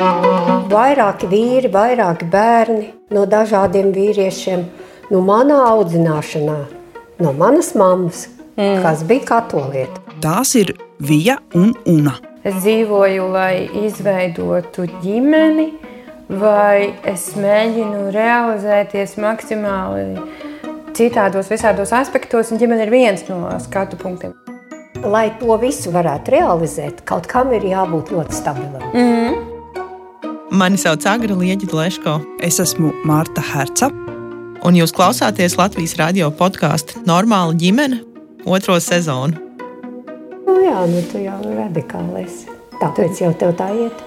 Vairāki vīri, vairāki bērni no dažādiem vīriešiem. No manā audzināšanā, no manas mammas, kas bija katoliete. Tās ir Vija un Una. Es dzīvoju, lai izveidotu ģimeni, vai es mēģinu realizēties maksimāli citādos, visādos aspektos, un ģimene ir viens no skatu punktiem. Lai to visu varētu realizēt, kaut kam ir jābūt ļoti stabilam. Mani sauc Agra Lieģi-Leško. Es esmu Marta Herca. Un jūs klausāties Latvijas radio podcastu Normāla ģimene 2. sezonu. Jā, tu jau radikāli esi. Tāpēc jau tev tā iet.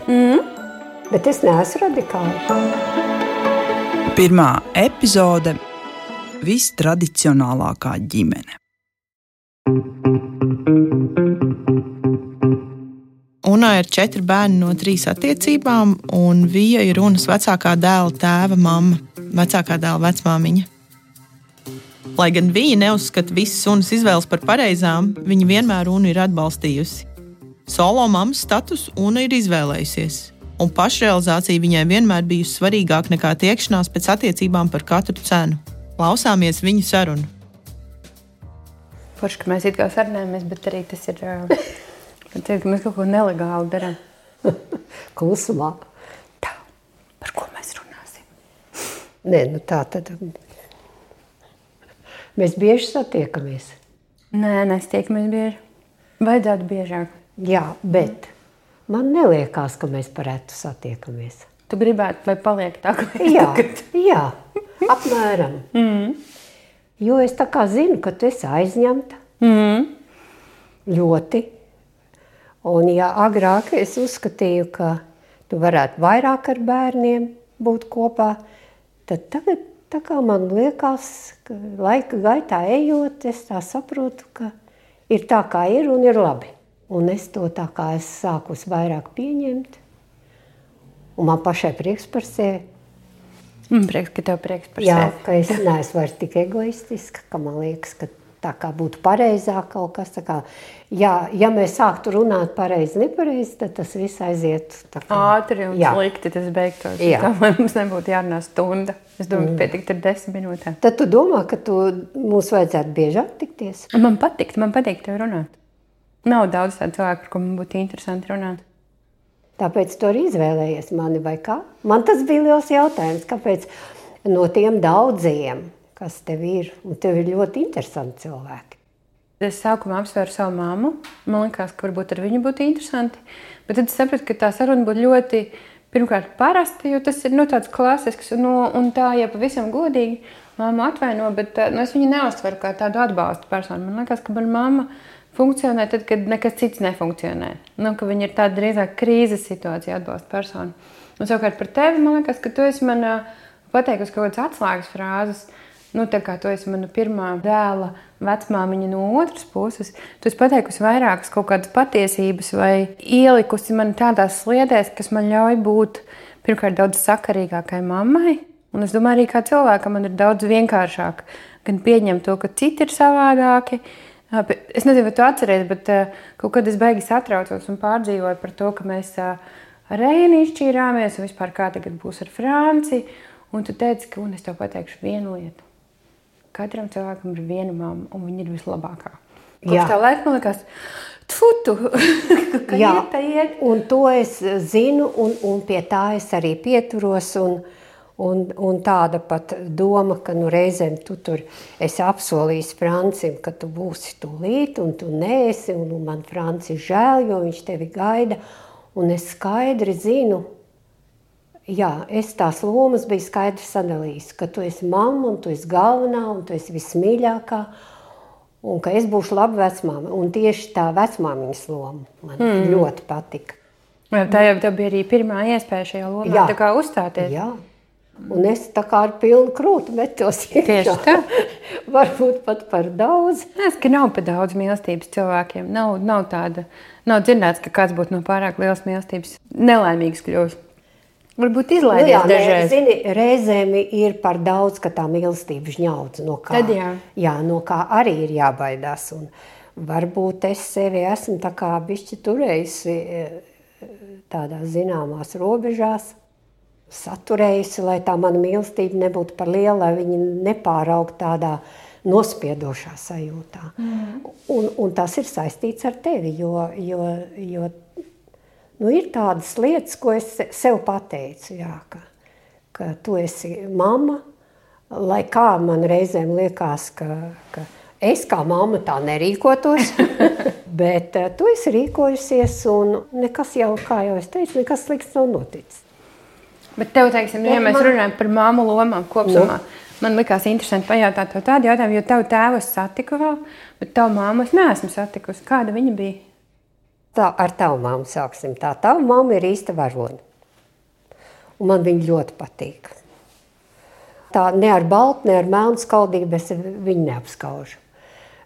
Bet es neesmu radikāli. Pirmā epizode – vistradicionālākā ģimene. Unai ir 4 bērni no 3 attiecībām, un Vija ir Unas vecākā dēla tēva mamma, vecākā dēla vecmāmiņa. Lai gan Vija neuzskata visas Unas izvēles par pareizām, viņa vienmēr Unu ir atbalstījusi. Solo mammas status Una ir izvēlējusies, un pašrealizācija viņai vienmēr bijusi svarīgāk nekā tiekšanās pēc attiecībām par katru cenu. Klausāmies viņu sarunu. Forši, ka mēs it kā sarunājamies, bet arī tas ir... ka mēs kaut ko nelegāli darām. Klusumā. Tā, par ko mēs runāsim? Nē, tā tad... Mēs bieži satiekamies. Nē, nestiekamies bieži. Vajadzētu biežāk. Jā, bet man neliekās, ka mēs parētu satiekamies. Tu gribētu, lai paliek tā, ka mēs tagad? Jā, apmēram. Jo es tā kā zinu, ka tu esi aizņemta. Ļoti. Un ja agrāk es uzskatīju, ka tu varētu vairāk ar bērniem būt kopā, tad tagad tā kā man liekas, ka laika gaitā ejot, es tā saprotu, ka ir tā kā ir un ir labi. Un es to tā kā es sākus vairāk pieņemt. Un man pašai prieks par sevi. Prieks, ka tev prieks par sevi. Jā, ka es neesmu vairs tik egoistiska, ka man liekas, ka tā kā būtu pareizāk kaut kas. Tā kā, ja mēs sāktu runāt pareizi, nepareizi, tad tas viss aiziet. Ātri un slikti tas beigtos. Tā mums nebūtu jārunā stunda. Es domāju, pietikt ar 10 minūtēm. Tad tu domā, ka mums vajadzētu biežāk tikties? Man patīk tev runāt. Nav daudz tādu cilvēku, ar ko man būtu interesanti runāt. Tāpēc tu arī izvēlējies mani vai kā? Man tas bija liels jautājums, kāpēc no tiem daudziem, kas tev ir, un tev ir ļoti interesanti cilvēki. Es sākumā apsvēru savu mammu. Man liekas, ka varbūt ar viņu būtu interesanti. Bet tad es sapratu, ka tā saruna būtu ļoti, pirmkārt, parasta, jo tas ir tāds klasisks. Un tā, ja pavisam godīgi, mamma atvaino, bet es viņu neuztveru kā tādu atbalstu personu. Man liekas, ka man mamma funkcionē tad, kad nekas cits nefunkcionē. Ka viņa ir tāda drīzāk krīzes situācija atbalsta personu. Un savukārt par tevi, man liekas, ka tu esi man pateikusi kaut kādas atslēgas frāzes. Tā kā tu esi mana pirmā dēla vecmāmiņa no otras puses, tu esi pateikusi vairākas kaut kādas patiesības vai ielikusi man tādās sliedēs, kas man ļauj būt pirmkārt daudz sakarīgākai mammai. Un es domāju, arī kā cilvēkam man ir daudz vienkāršāk gan pieņemt to, ka citi ir savādāki. Es nezinu, vai tu atceries, bet kaut kad es baigi satraucos un pārdzīvoju par to, ka mēs ar Reini izšķīrāmies un vispār kā tagad būs ar Franci. Un tu teici, ka es tev pateikšu vienu lietu. Katram cilvēkam ir viena mamma, un viņa ir vislabākā. Kopš tā laika man liekas, ka iet. Un to es zinu, un pie tā es arī pieturos, un tāda pat doma, ka reizēm tu tur esi apsolījis Francim, ka tu būsi tūlīt, un tu neesi, un man Franci žēl, jo viņš tevi gaida, un es skaidri zinu, es tās lomas biju skaidri sadalījis, ka tu esi mamma, un tu esi galvenā, un tu esi vismīļākā, un ka es būšu laba vecmāma. Un tieši tā vecmāmiņas loma man ļoti patika. Tā jau tev bija arī pirmā iespēja šajā lomā tā kā uzstāties. Jā, un es tā kā ar pilnu krūtu metos iekšā. Tieši tā. Varbūt pat par daudz. Es, ka nav par daudz mīlestības cilvēkiem. Nav dzirdēts, ka kāds būtu no pārāk lielas mīlestības nelaimīgs kļūst. Varbūt izlaidies dažreiz. Zini, reizēm ir par daudz, ka tā mīlestība žņaudz, no kā arī ir jābaidās. Un varbūt es sevi esmu tā kā bišķi turējusi tādās zināmās robežās saturējusi, lai tā mana mīlestība nebūtu par lielu, lai viņi nepāraugtu tādā nospiedošā sajūtā. Un tas ir saistīts ar tevi, jo ir tādas lietas, ko es sev pateicu, jā, ka tu esi mamma, lai kā man reizēm liekas, ka es kā mamma tā nerīkotos, bet tu esi rīkojusies un nekas jau, kā jau es teicu, nekas slikts nav noticis. Bet tev, teiksim, ja mēs runājam par mammu lomām kopsumā, man likās interesanti pajautāt tev tādu jautājumu, jo tavu tēvu es satiku vēl, bet tavu mammu es neesmu satikusi. Kāda viņa bija? Tā, ar tavu mammu sāksim. Tā tava mamma ir īsta varone. Un man viņa ļoti patīk. Tā ne ar baltu, ne ar melnu skaldību es viņu neapskaužu.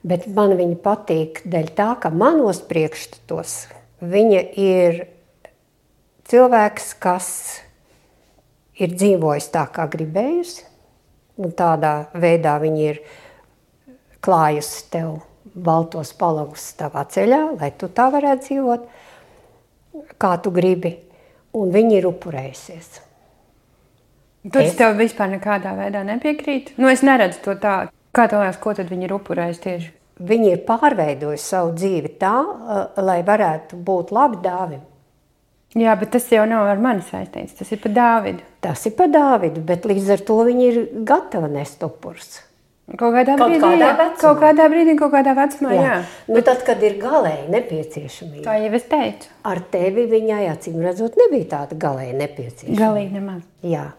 Bet man viņa patīk dēļ tā, ka manos priekšstatos viņa ir cilvēks, kas ir dzīvojis tā, kā gribējusi, un tādā veidā viņa ir klājusi tev baltos palagus tavā ceļā, lai tu tā varētu dzīvot, kā tu gribi, un viņa ir upurējusies. Tas tev vispār nekādā veidā nepiekrīt? Es neredzu to tā. Kā tev liekas, ko tad viņi ir upurējuši tieši? Viņi ir pārveidojuši savu dzīvi tā, lai varētu būt labi Dāvim. Jā, bet tas jau nav ar mani saistīts. Tas ir par Dāvidu. Tas ir par Dāvidu, bet līdz ar to viņi ir gatavi nest upurus. Kaut kādā brīdī, kaut kādā vecumā, jā. Tad, kad ir galēji nepieciešamība. Tā jau es teicu. Ar tevi viņai, acīm redzot, nebija tāda galēji nepieciešamība. Galīgi nemaz. Jā.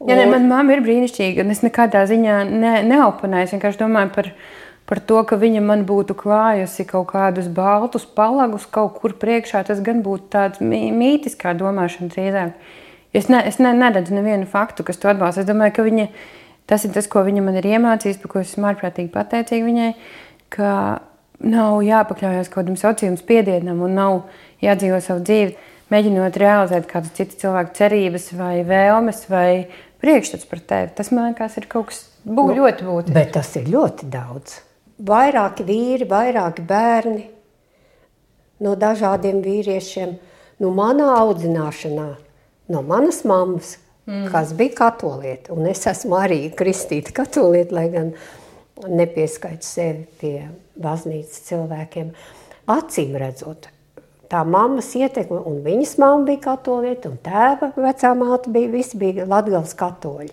Man mamma ir brīnišķīga, un es nekādā ziņā neoponēju. Es vienkārši domāju par to, ka viņa man būtu klājusi kaut kādus baltus palagus kaut kur priekšā. Tas gan būtu tāds mītiskā domāšana drīzāk. Es neredzu nevienu faktu, kas to atbalsta. Es domāju, ka tas ir tas, ko viņa man ir iemācījis, par ko es esmu ārprātīgi pateicīga viņai, ka nav jāpakļaujas kaut kādam sociālam spiedienam un nav jādzīvo savu dzīvi, mēģinot realizēt kādu citu cilvēku cerības vai vēlmes vai priekšstats par tevi. Tas, man liekas, ir kaut kas ļoti būtisks. Bet tas ir ļoti daudz. Vairāki vīri, vairāki bērni no dažādiem vīriešiem. Manā audzināšanā, no manas mammas, kas bija katoliete. Un es esmu arī kristīta katoliete, lai gan nepieskaitu sevi pie baznīcas cilvēkiem. Acīm redzot, tā mammas ietekme, un viņas mamma bija katoliete, un tēva vecā māte visi bija Latgales katoļi.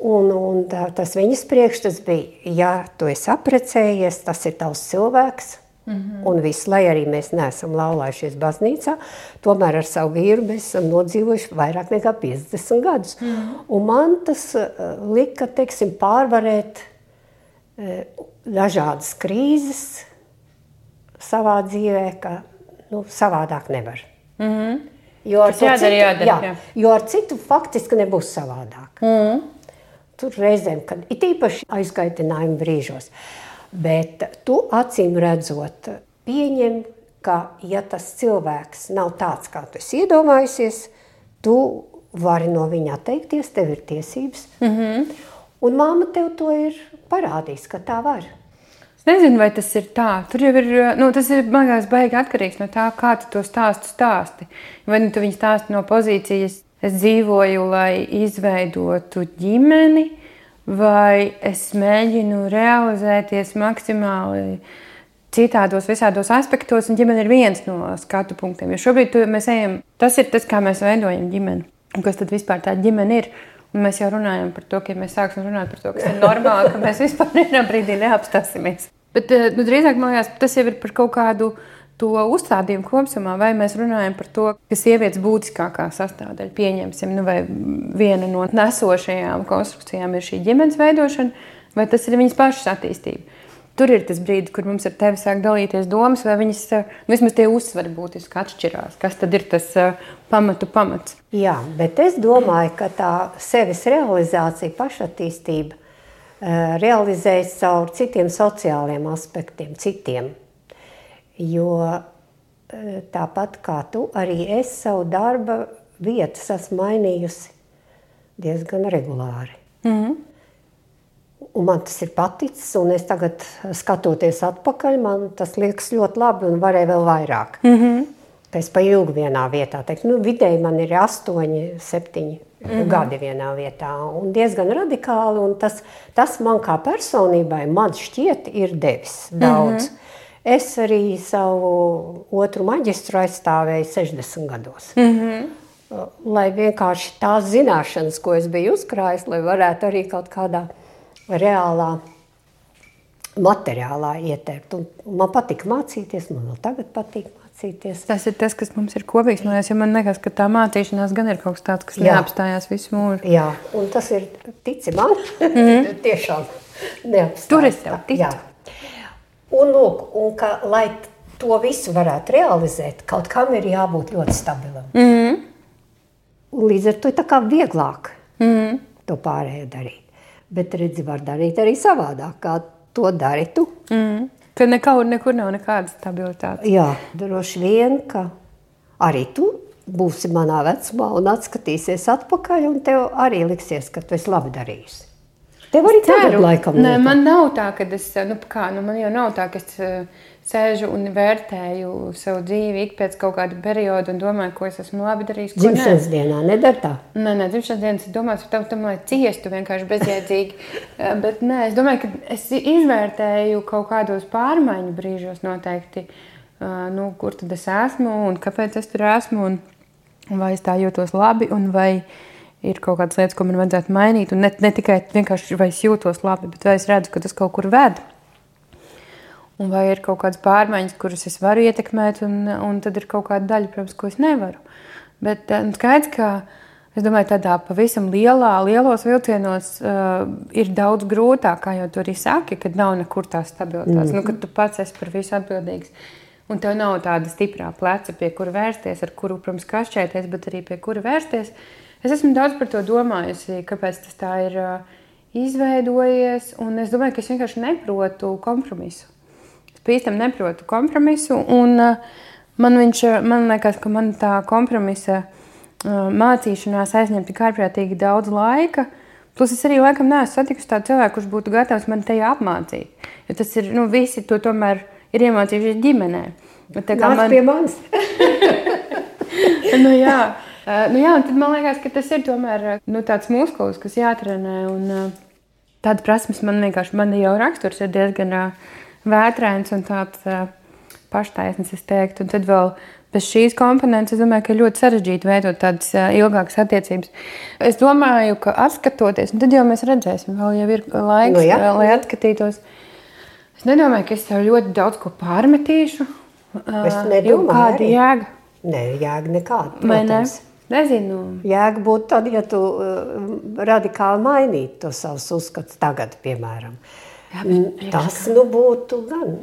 Un tas viņas priekšstats bija, ja tu esi apprecējies, tas ir tavs cilvēks, un viss, lai arī mēs neesam laulājušies baznīcā, tomēr ar savu vīru mēs esam nodzīvojuši vairāk nekā 50 gadus. Un man tas lika, teiksim, pārvarēt dažādas krīzes savā dzīvē, ka savādāk nevar. Jo ar citu faktiski nebūs savādāk. Tur reizēm, kad it īpaši aizkaitinājumi brīžos. Bet tu acīm redzot pieņem, ka ja tas cilvēks nav tāds, kā tu esi iedomājusies, tu vari no viņa atteikties, tev ir tiesības. Un mamma tev to ir parādījis, ka tā var. Es nezinu, vai tas ir tā. Tur jau ir, tas ir, man liekas, baigi atkarīgs no tā, kā tu to stāsti. Vai tu viņu stāsti no pozīcijas, es dzīvoju, lai izveidotu ģimeni, vai es mēģinu realizēties maksimāli citādos, visādos aspektos, un ģimene ir viens no skatu punktiem. Jo šobrīd mēs ejam, tas ir tas, kā mēs veidojam ģimeni. Un kas tad vispār tā ģimene ir? Un mēs jau runājam par to, ka mēs sāksim runāt par to, kas ir normāli, ka mēs vispār vienā brīdī neapstāsimies. Bet drīzāk, man liekas, tas jau ir par kaut kādu to uzstādījumu kopsumā, vai mēs runājam par to, ka sievietes būtiskākā sastāvdaļa, pieņemsim, vai viena no nesošajām konstrukcijām ir šī ģimenes veidošana, vai tas ir viņas pašas attīstība. Tur ir tas brīdis, kur mums ar tevi sāk dalīties domas, vai viņas, vismaz tie uzsvari būtiski atšķirās. Kas tad ir tas pamats? Jā, bet es domāju, ka tā sevis realizācija, pašattīstība realizējas caur citiem sociāliem aspektiem, citiem. Jo tāpat kā tu, arī es savu darba vietas esmu mainījusi diezgan regulāri. Un man tas ir paticis, un es tagad skatoties atpakaļ, man tas liekas ļoti labi un varēja vēl vairāk. ka es pa ilgu vienā vietā teiktu. Nu, vidēji man ir 8, 7 gadi vienā vietā un diezgan radikāli, un tas man kā personībai, man šķiet, ir devis daudz. Es arī savu otru maģistru aizstāvēju 60 gados. Lai vienkārši tās zināšanas, ko es biju uzkrājis, lai varētu arī kaut kādā reālā, materiālā ietērpt. Un man patīk mācīties, man vēl tagad patīk mācīties. Tas ir tas, kas mums ir kopīgs. Man liekas, ka tā mācīšanās gan ir kaut kas tāds, kas neapstājās visu mūžu. Jā, un tas ir, tici man, tiešām neapstājās. Tur es tev ticu. Jā. Un lūk, lai to visu varētu realizēt, kaut kam ir jābūt ļoti stabilam. Un līdz ar to ir tā kā vieglāk to pārējo darīt. Bet redzi, var darīt arī savādāk, kā to dari tu. Ka nekur nav nekāda stabilitāte. Jā, droši vien, ka arī tu būsi manā vecumā un atskatīsies atpakaļ, un tev arī liksies, ka tu esi labi darījusi. Tev arī tagad laikam Nē, man nav tā, ka es, man jau nav tā, ka es sēžu un vērtēju savu dzīvi ik pēc kaut kāda perioda un domāju, ko es esmu labi darījis, ko dzimšanas dienā nedara tā? Nē, dzimšanas dienas es domāju par tam, lai ciestu vienkārši bezjēdzīgi. Bet nē, es domāju, ka es izvērtēju kaut kādos pārmaiņu brīžos noteikti, kur tad es esmu un kāpēc es tur esmu un vai es tā jūtos labi un vai ir kaut kādas lietas, ko man vajadzētu mainīt. Un ne tikai vienkārši, vai es jūtos labi, bet vai es redzu, ka tas kaut kur ved. Un vai ir kaut kādas pārmaiņas, kuras es varu ietekmēt, un tad ir kaut kāda daļa, protams, ko es nevaru. Bet skaidrs, ka es domāju, tādā pavisam lielos vilcienos ir daudz grūtāk, kā jau tu arī saki, kad nav nekur tās stabilitātes. Kad tu pats esi par visu atbildīgs. Un tev nav tāda stiprā pleca, pie kura vērsties, ar kuru, protams, kašķēties, bet arī pie kura vērsties. Es esmu daudz par to domājusi, kāpēc tas tā ir izveidojies, un es domāju, ka es vienkārši neprotu kompromisu. Es pīstam neprotu kompromisu, un man liekas, ka man tā kompromisa mācīšanās aizņem tik ārprātīgi daudz laika, plus es arī laikam neesmu satikusi tādu cilvēku, kurš būtu gatavs man tajā apmācīt. Jo tas ir, visi to tomēr ir iemācījušies ģimenē. Nāc pie manis! Jā, un tad man liekas, ka tas ir tomēr tāds muskulis, kas jātrenē, un tāda prasmes man jau raksturs ir diezgan vētrains un tāds paštaisnes, es teiktu, un tad vēl bez šīs komponentes, es domāju, ka ļoti sarežģīti veidot tādas ilgākas attiecības. Es domāju, ka atskatoties, un tad jau mēs redzēsim, vēl jau ir laiks, lai atskatītos. Es nedomāju, ka es tev ļoti daudz ko pārmetīšu. Es nedomāju kāda jēga? Nē, jēga nekāda, protams. Nezinu. Jēga būtu tad, ja tu radikāli mainītu to savus uzskats tagad, piemēram. Jā, tas būtu gan.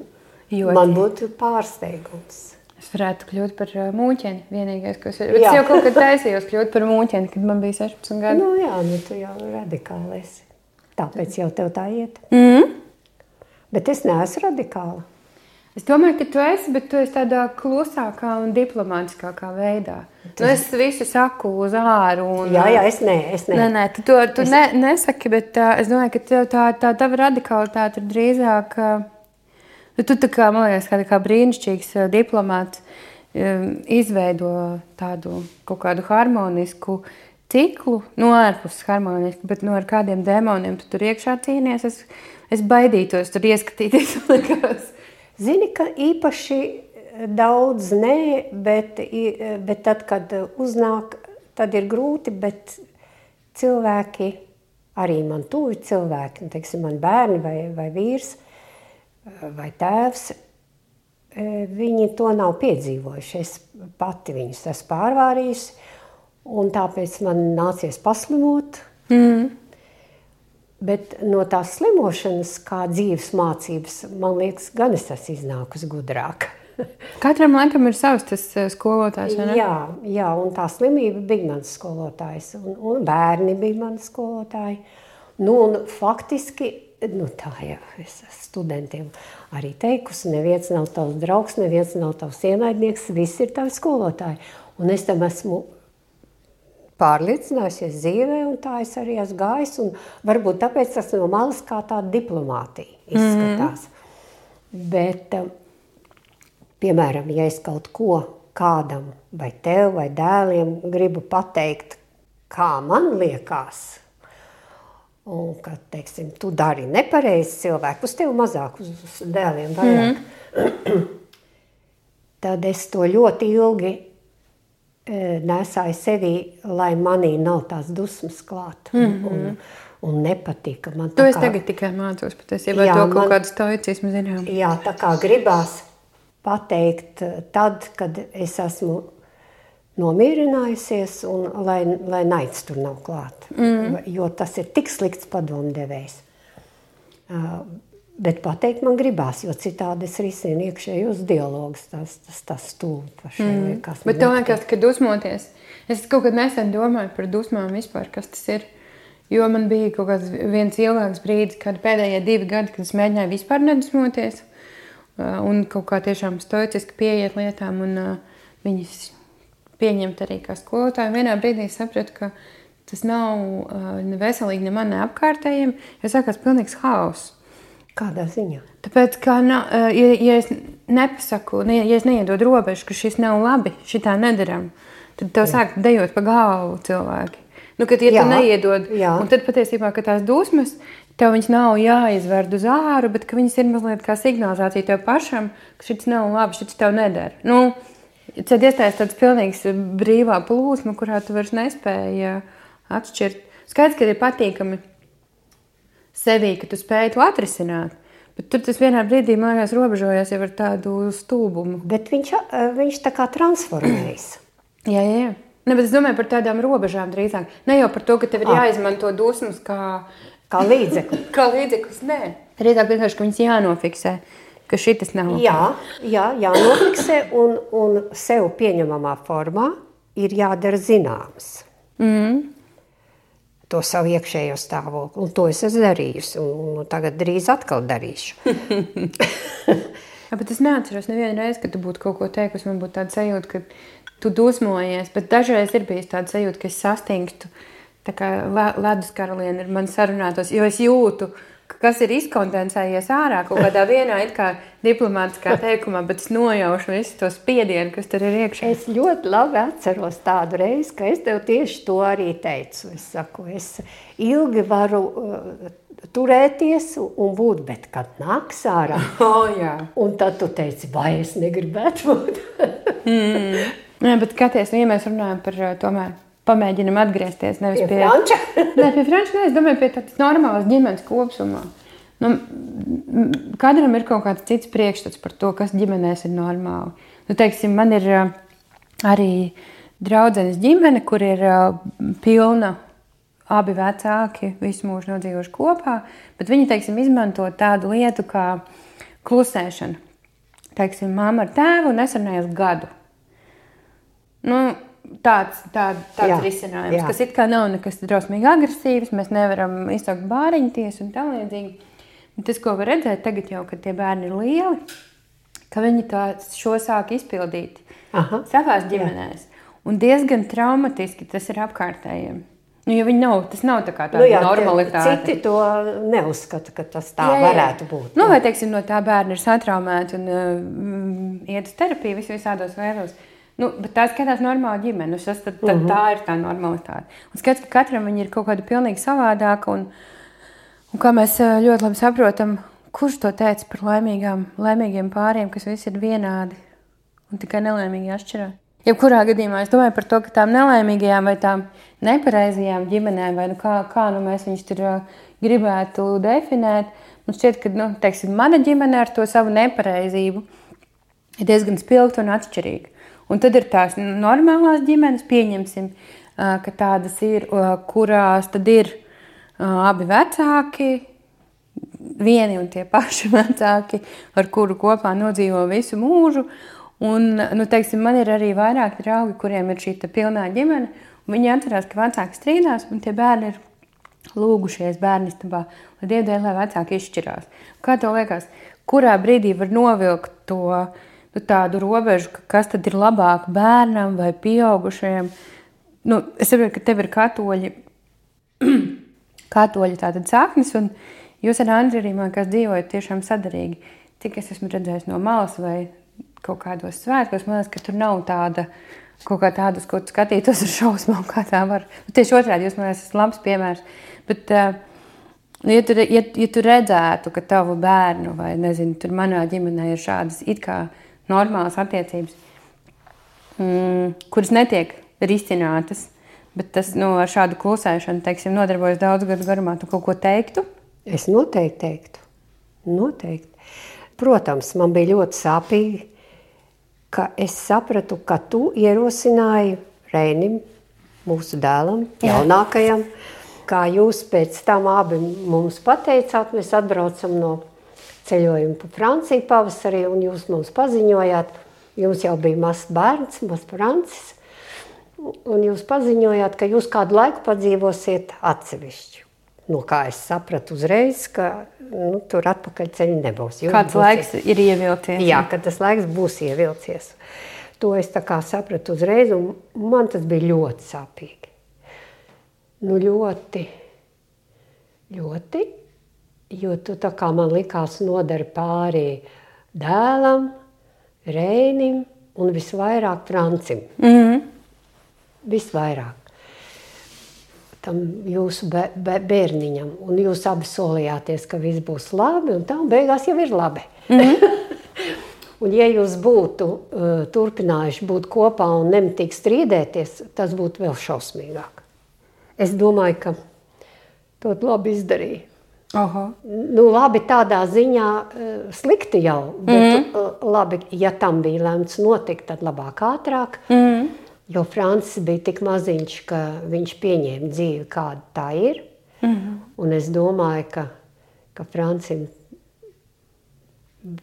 Man būtu pārsteigums. Es varētu kļūt par mūķeni, vienīgais, kas ir. Bet es jau kaut kad taisījos kļūt par mūķeni, kad man bija 16 gadi. Tu jau radikāli esi. Tāpēc jau tev tā iet. Bet es neesmu radikāla. Es domāju, ka tu esi, bet tu esi tādā klusākā un diplomātiskākā veidā. Es visu saku uz āru. Jā, es nē. Nē, tu nesaki, bet es domāju, ka tā tava radikalitāte ir drīzāk... Tu tā kā, man liekas, kā brīnišķīgs diplomāts izveido tādu kaut kādu harmonisku ciklu, ārpus harmonisku, bet ar kādiem demoniem tu tur iekšā cīnies. Es baidītos tur ieskatīties. Zini, ka īpaši daudz nē, bet tad, kad uznāk, tad ir grūti, bet cilvēki, arī man tuvi cilvēki, teiksim, man bērni vai vīrs vai tēvs, viņi to nav piedzīvojuši. Es pati viņus esmu pārvārījusi, un tāpēc man nācies paslimot. Bet no tās slimošanas, kā dzīves mācības, man liekas, gan es esmu iznākusi gudrāk. Katram laikam ir savs tas skolotājs, vai ne? Jā, un tā slimība bija mans skolotājs, un bērni bija mani skolotāji. Un faktiski, tā jau es studentiem arī teikusi, neviens nav tavs draugs, neviens nav tavs ienaidnieks, visi ir tavi skolotāji. Un es tam esmu pārliecinājusies dzīvē, un tā es arī esmu gājis, un varbūt tāpēc tas no malas kā tāda diplomātija izskatās. Bet, piemēram, ja es kaut ko kādam, vai tev, vai dēliem gribu pateikt, kā man liekas, un ka, teiksim, tu dari nepareizi cilvēku, uz tevi mazāk, uz dēliem vairāk, tad es to ļoti ilgi nesāju sevī, lai manī nav tās dusmas klāt. Un nepatika. Man to es tagad tikai mācos, patiesībā to kaut kādu stoicismu zinām. Jā, tā kā gribās pateikt tad, kad es esmu nomierinājusies un lai naids tur nav klāt. Jo tas ir tik slikts padomdevējs. Bet pateikt man gribās, jo citādi es risinu iekšējos dialogus. Tas stūli pašai. Bet tev liekas, ka dusmoties. Es kaut kad nesen domāju par dusmām vispār, kas tas ir. Jo man bija kaut kāds viens ilgāks brīdis, kad pēdējie 2 gadi, kad es mēģināju vispār nedusmoties un kaut kā tiešām stoiciski pieiet lietām un viņas pieņemt arī kā skolotāju. Vienā brīdī sapratu, ka tas nav ne veselīgi ne man, ne apkārtējiem, jo sākās pilnīgs haoss. Kādā ziņā? Tāpēc, ka ja es nepasaku, ja es neiedod robežu, ka šis nav labi, šitā nedaram, tad tev sāk dejot pa galvu cilvēki. Kad ja tu neiedod, un tad patiesībā, ka tās dusmas, tev viņas nav jāizverd uz āru, bet ka viņas ir mazliet kā signalizācija tev pašam, ka šis nav labi, šis tev nedara. Tad iestājas tāds pilnīgs brīvā plūsma, kurā tu vairs nespēji atšķirt. Skaidrs, ka ir patīkami sevī, ka tu spēji to atrisināt, bet tur tas vienā brīdī, man liekas, robežojas jau ar tādu stulbumu. Bet viņš tā kā transformējas. Jā. Bet es domāju par tādām robežām drīzāk. Ne jau par to, ka tev ir jāizmanto dusmas kā līdzekli. Kā līdzeklis, nē. Drīzāk vienkārši, ka viņas jānofiksē, ka šitas nav. Jānofiksē un sev pieņemamā formā ir jādara zināms. To savu iekšējo stāvokli. Un to es esmu darījusi. Un tagad drīz atkal darīšu. Bet es neatceros nevienu reizi, kad tu būtu kaut ko teikusi. Man būtu tāda sajūta, ka tu dusmojies, bet dažreiz ir bijis tāda sajūta, ka es sastingstu, tā kā ledus karaliene ar mani sarunātos, jo es jūtu, kas ir izkondensējies ārā kaut kādā vienā it kā diplomātiskā teikumā, bet es nojaušu visu to spiedienu, kas tur ir iekšā. Es ļoti labi atceros tādu reizi, ka es tev tieši to arī teicu. Es saku, es ilgi varu turēties un būt, bet kad nāks ārā, un tad tu teici, vai es negribētu būt. Nē, bet skaties, ja mēs runājam par tomēr pamēģinam atgriezties nevis pie Franča. Pie Franča, es domāju pie tādas normālas ģimenes kopsumā. Katram ir kaut kāds cits priekšstats par to, kas ģimenēs ir normāli. Teiksim, man ir arī draudzenes ģimene, kur ir pilna abi vecāki, visu mūžu nodzīvojuši kopā, bet viņi, teiksim, izmanto tādu lietu kā klusēšana. Teiksim, mamma ar tēvu nesarunājās gadu. Tāds risinājums, kas it kā nav nekas drausmīgi agresīvs, mēs nevaram izsaukt bāriņties un tā līdzīgi. Bet tas, ko var redzēt tagad jau, kad tie bērni ir lieli, ka viņi šo sāk izpildīt savās ģimenēs. Un diezgan traumatiski tas ir apkārtējiem. Jo tas nav tā kā tāda normalitāte. Citi to neuzskata, ka tas tā varētu būt. Vai, teiksim, no tā bērni ir satraumēti un iet uz terapiju visādos veidos. Bet tā skatās normāla ģimene. Tā ir tā normalitāte. Un skats, ka katram viņi ir kaut kāda pilnīgi savādāka. Un kā mēs ļoti labi saprotam, kurš to teica par laimīgiem pāriem, kas visi ir vienādi un tikai nelaimīgi atšķirās. Jebkurā gadījumā es domāju par to, ka tām nelaimīgajām vai tām nepareizajām ģimenēm, vai kā mēs viņus tur gribētu definēt, man šķiet, ka teiksim, mana ģimene ar to savu nepareizību ir diezgan spilgta un atšķirīga. Un tad ir tās normālās ģimenes, pieņemsim, ka tādas ir, kurās tad ir abi vecāki, vieni un tie paši vecāki, ar kuru kopā nodzīvo visu mūžu. Un, teiksim, man ir arī vairāki draugi, kuriem ir šī pilnā ģimene, un viņi atcerās, ka vecāki strīdās, un tie bērni ir lūgušies bērnistabā, lai Dievdēļ, lai vecāki izšķirās. Kā tev liekas, kurā brīdī var novilkt to tādu robežu, kas tad ir labāk bērnam vai pieaugušajiem? Es saprotu, ka tev ir katoļi tātad saknes, un jūs ar Andri arī, man liekas, dzīvojat tiešām sadarīgi. Cik es esmu redzējis no malas vai kaut kādos svētkos, man liekas, ka tur nav tāda, kaut kā tādas, ko tu skatītos ar šausmām, kā tā var. Tieši otrādi, jūs, man liekas, esat labs piemērs. Bet, ja tu redzētu, ka tavu bērnu, vai nezinu, tur manā ģimenē ir šādas it kā normālas attiecības, kuras netiek risinātas, bet tas ar šādu klusēšanu, teiksim, nodarbojas daudz gadu garumā, tu kaut ko teiktu? Es noteikti teiktu. Noteikti. Protams, man bija ļoti sāpīgi, ka es sapratu, ka tu ierosināji Reinim, mūsu dēlam, jaunākajam, kā jūs pēc tam abi mums pateicāt, mēs atbraucam no ceļojuma pa Franciju pavasarī, un jūs mums paziņojāt, jums jau bija mazs bērns, mazs Francis, un jūs paziņojāt, ka jūs kādu laiku padzīvosiet atsevišķi. No kā es sapratu uzreiz, ka tur atpakaļ ceļi nebūs. Kāds laiks ir ievilcies? Jā, ka tas laiks būs ievilcies. To es tā kā sapratu uzreiz, un man tas bija ļoti sāpīgi. Ļoti, jo tu tā kā man likās nodara pāri dēlam, Reinim un visvairāk Francim. Visvairāk. Tam jūsu bērniņam, un jūs abi solījāties, ka viss būs labi, un tā, un beigās jau ir labi. Un ja jūs būtu turpinājuši būt kopā un nemitīgi strīdēties, tas būtu vēl šausmīgāk. Es domāju, ka to labi izdarīja. Aha. Labi tādā ziņā slikti jau, bet labi, ja tam bija lemts notikt, tad labāk ātrāk. Jo Francis bija tik maziņš, ka viņš pieņēma dzīvi, kāda tā ir. Un es domāju, ka Francim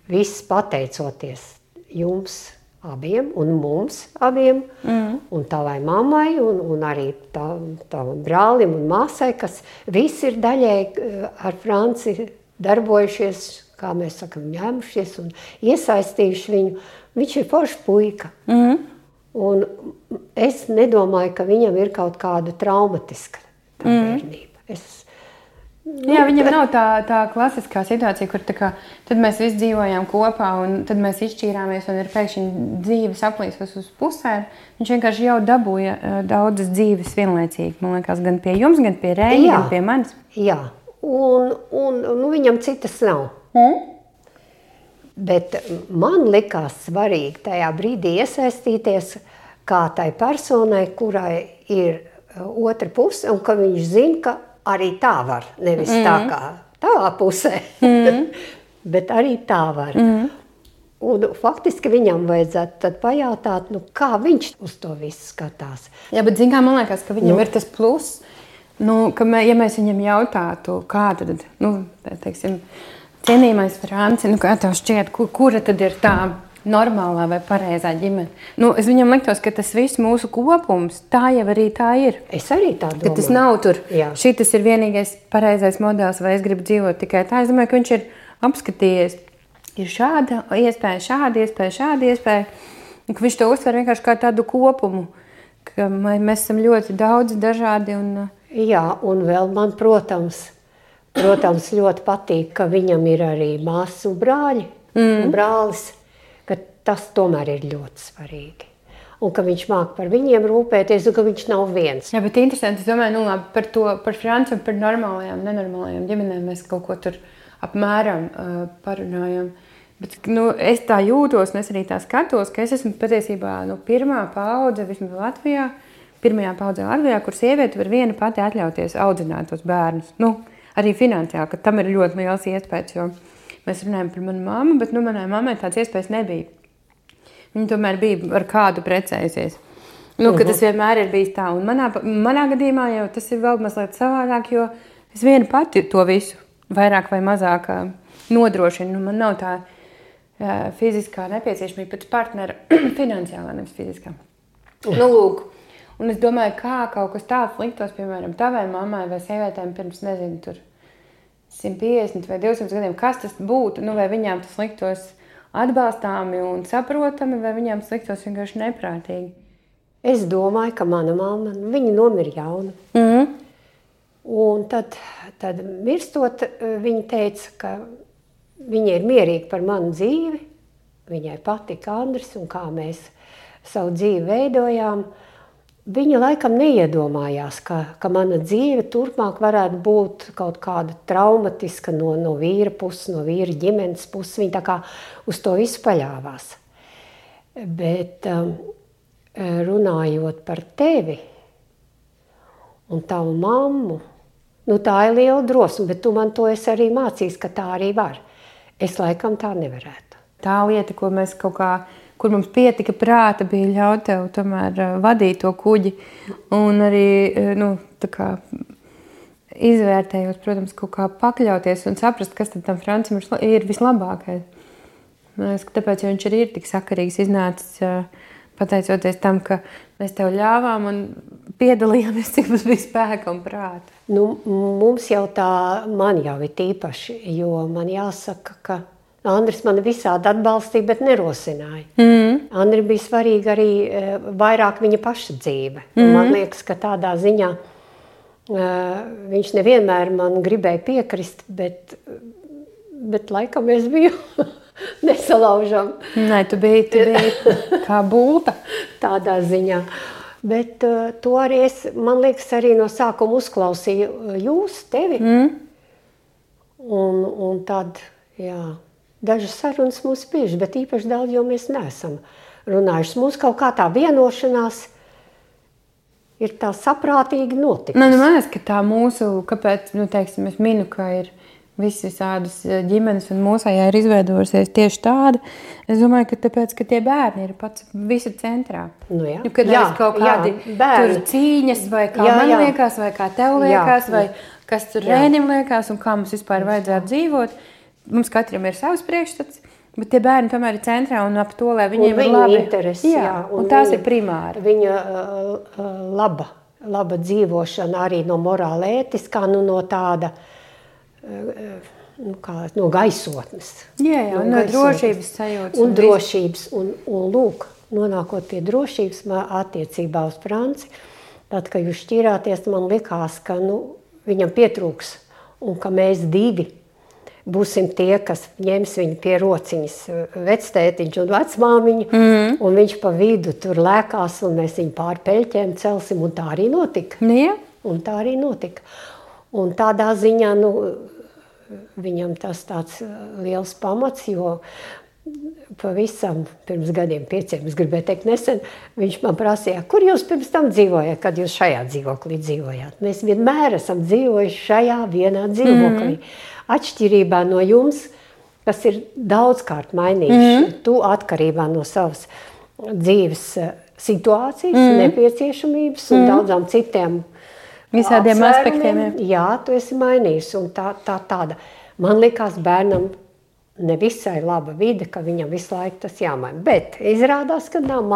viss pateicoties jums abiem un mums abiem, un tavai mammai, un arī tavam brālim un māsai, kas visi ir daļēji ar Franci darbojušies, kā mēs sakam, ņēmušies un iesaistījuši viņu. Viņš ir foršs puika. Un es nedomāju, ka viņam ir kaut kāda traumatiska bērnība. Jā, viņam nav tā klasiskā situācija, kur tad mēs visi dzīvojām kopā, un tad mēs izšķīrāmies, un ir pēkšņi dzīves aplīsos uz pusēm. Viņš vienkārši jau dabūja daudzas dzīves vienlaicīgi, man liekas, gan pie jums, gan pie Reini, gan pie manis. Jā, un viņam citas nav. Bet man likās svarīgi tajā brīdī iesaistīties kā tai personai, kurai ir otra puse, un ka viņš zina, ka arī tā var, nevis tā kā tavā pusē, bet arī tā var. Un faktiski viņam vajadzētu tad pajautāt, kā viņš uz to visu skatās. Jā, bet zin kā, man liekas, ka viņam ir tas plus, ka ja mēs viņam jautātu, kā tad, teiksim, cienījamais Franci, kā tev šķiet, kura tad ir tā normālā vai pareizā ģimene? Es viņam liktos, ka tas viss mūsu kopums, tā jau arī tā ir. Es arī tā domāju. Ka tas nav tur, šitas ir vienīgais pareizais modelis, vai es gribu dzīvot tikai tā. Es domāju, ka viņš ir apskatījies, ir šāda iespēja, un ka viņš to uztver vienkārši kā tādu kopumu, ka mēs esam ļoti daudz dažādi. Jā, un vēl man, protams, ļoti patīk, ka viņam ir arī māsas un brāļi, un brālis, ka tas tomēr ir ļoti svarīgi. Un ka viņš māk par viņiem rūpēties, un ka viņš nav viens. Jā, bet interesanti, es domāju, par Franci un par normālajām, nenormālajām ģimenēm mēs kaut ko tur apmēram parunājam. Bet es tā jūtos, un es arī tā skatos, ka es esmu patiesībā pirmā paudze, vismaz Latvijā, kur sieviete var viena pati atļauties audzināt tos bērnus. Arī finansiāli, ka tam ir ļoti liels iespējas, jo mēs runājam par manu mammu, bet manai mammai tāds iespējas nebija. Viņa tomēr bija ar kādu precējusies. Ka tas vienmēr ir bijis tā. Un manā gadījumā jau tas ir vēl mazliet savādāk, jo es viena pati to visu vairāk vai mazāk nodrošinu. Man nav tā fiziskā nepieciešamība pēc partnera finansiālā, nevis fiziskā. Lūk. Un es domāju, kā kaut kas tāds liktos, piemēram, tavai mammai vai sievietēm pirms, nezinu, tur 150 vai 200 gadiem, kas tas būtu, vai viņām tas liktos atbalstāmi un saprotami, vai viņām tas liktos vienkārši neprātīgi. Es domāju, ka mana mamma, viņa nomira jauna. Un tad mirstot, viņa teica, ka viņa ir mierīga par manu dzīvi, viņai patika Andris un kā mēs savu dzīvi veidojām, viņa laikam neiedomājās, ka mana dzīve turpmāk varētu būt kaut kāda traumatiska no vīra puses, no vīra ģimenes puses. Viņa tā kā uz to visu paļāvās. Bet runājot par tevi un tavu mammu, tā ir liela drosme, bet tu man to esi arī mācījis, ka tā arī var. Es laikam tā nevarētu. Tā lieta, ko mēs kaut kā, kur mums pietika prāta, bija ļaut tev tomēr vadīt to kuģi. Un arī, tā kā izvērtējot, protams, kaut kā pakļauties un saprast, kas tad tam Francim ir vislabākais. Man liekas, ka tāpēc viņš arī ir tik sakarīgs iznācis, pateicoties tam, ka mēs tev ļāvām un piedalījāmies, cik mums bija spēka un prāta. Mums jau man jau ir tīpaši, jo man jāsaka, ka Andris mani visādi atbalstīja, bet nerosināja. Andrim bija svarīga arī vairāk viņa paša dzīve. Man liekas, ka tādā ziņā viņš nevienmēr man gribēja piekrist, bet laikam es biju nesalaužam. Nē, tu biji kā bulta. Tādā ziņā. Bet to arī man liekas, arī no sākuma uzklausīju tevi. Un tad, dažas sarunas mums bieži, bet īpaši daudz, jo mēs neesam runājuši. Mums kaut kā tā vienošanās ir tā saprātīgi notikusi. Man liekas, ka tā mūsu, kāpēc, teiksim, es minu, ka ir visādas ģimenes un mūsējā ir izveidojusies tieši tāda. Es domāju, ka tāpēc, ka tie bērni ir pats visa centrā. Kad ir kaut kādi tur cīņas, vai kā man liekas, vai kā tev liekas, vai kas tur Rēnim liekas, un kā mums vispār vajadzētu dzīvot. Mums katram ir savs priekšstats, bet tie bērni tomēr ir centrā un ap to, lai viņiem ir labi. Interesi, un tās ir primāri. Viņa laba dzīvošana arī no morāla ētiskā, no tāda, no gaisotnes. No drošības sajūtas. Un drošības. Un lūk, nonākot pie drošības attiecībā uz Franci, tad, kad jūs šķirāties, man likās, ka viņam pietrūks un ka mēs divi būsim tie, kas ņems viņu pie rociņas, vectētiņš un vecmāmiņa, un viņš pa vidu tur lēkās, un mēs viņu pār peļķēm celsim, un tā arī notika. Un tā arī notika. Un tādā ziņā, viņam tas tāds liels pamats, jo pavisam pirms gadiem 5, es gribēju teikt nesen, viņš man prasīja, kur jūs pirms tam dzīvojat, kad jūs šajā dzīvoklī dzīvojāt. Mēs vienmēr esam dzīvojuši šajā vienā dzīvoklī. Atšķirībā no jums, kas ir daudzkārt mainījuši, tu atkarībā no savas dzīves situācijas, nepieciešamības un daudzām citiem visādiem aspektiem. Jā, tu esi mainījis. Un tāda, man likās bērnam nevisai laba vide, ka viņam visu laiku tas jāmaina. Bet izrādās, ka nav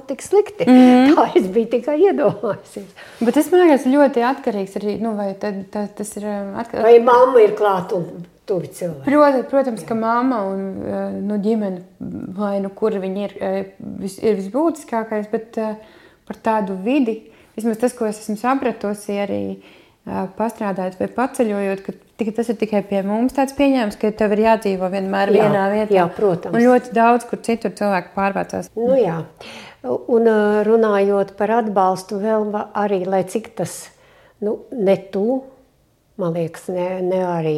tik slikti. Tā es biju tikai iedomājusies. Bet es domāju, ļoti atkarīgs arī, vai tas ir atkarīgs. Vai mamma ir klāt un tuvi cilvēki? Protams, ka mamma un ģimene, vai kur viņi ir visbūtiskākais, bet par tādu vidi, vismaz tas, ko es esmu sapratusi arī pastrādājot vai paceļojot, ka tas ir tikai pie mums tāds pieņēmums, ka tev ir jādzīvo vienmēr vienā vietā. Jā, protams. Un ļoti daudz, kur citur cilvēki pārvācās. Jā. Un runājot par atbalstu vēl arī, lai cik tas, ne tu, man liekas, ne arī